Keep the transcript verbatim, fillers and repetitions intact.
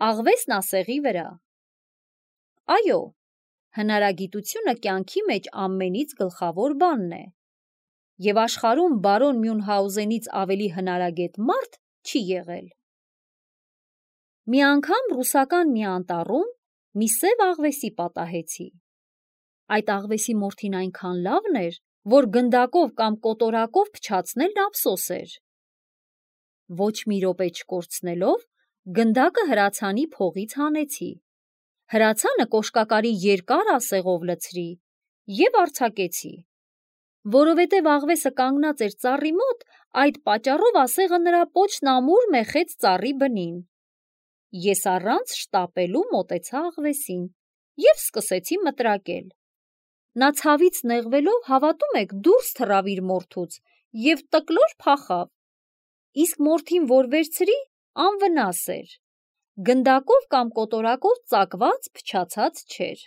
Աղվեսն ասեղի վրա։ Այո, հնարագիտությունը կյանքի մեջ ամենից գլխավոր բանն է, և աշխարհում բարոն Մյունհաուզենից ավելի հնարագետ մարդ չի եղել։ Մի անգամ ռուսական մի անտառում մի սև աղվեսի պատահեցի։ Այդ աղվեսի մորթին այնքան լավն էր, որ գնդակով կամ կոտորակով փչացնելն ափսոս էր։ Ոչ մի րոպե չկորցնելով, գնդակը հրացանի փողից հանեցի, հրացանը կոշկակարի երկար ասեղով լցրի և արձակեցի։ Որովհետև աղվեսը կանգնած էր ծառի մոտ, այդ պատճառով ասեղը նրա պոչն ամուր մեխեց ծառի բնին։ Ես առանց շտապելու մոտեցա աղվեսին և սկսեցի մտրակել։ Նա ցավից նեղվելով, հավատում եք, դուրս թռավ իր մորթուց և տկլոր փախավ, իսկ մորթին, որ վերցրի, անվնաս էր, գնդակով կամ կոտորակով ծակված փչացած չէր։